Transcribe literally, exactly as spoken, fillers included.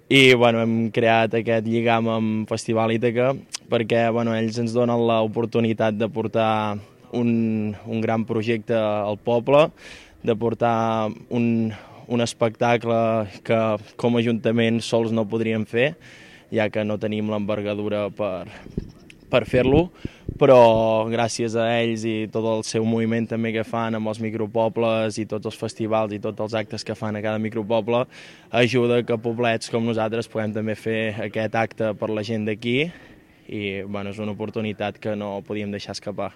i bueno, hem creat aquest lligam amb Festival Ítaca perquè bueno, ells ens donen l'oportunitat de portar un, un gran projecte al poble, de portar un, un espectacle que com a Ajuntament sols no podríem fer, ja que no tenim l'envergadura per, per fer-lo, però gràcies a ells i tot el seu moviment també que fan amb els micropobles i tots els festivals i tots els actes que fan a cada micropoble ajuda que poblets com nosaltres puguem també fer aquest acte per la gent d'aquí i bueno, és una oportunitat que no podíem deixar escapar.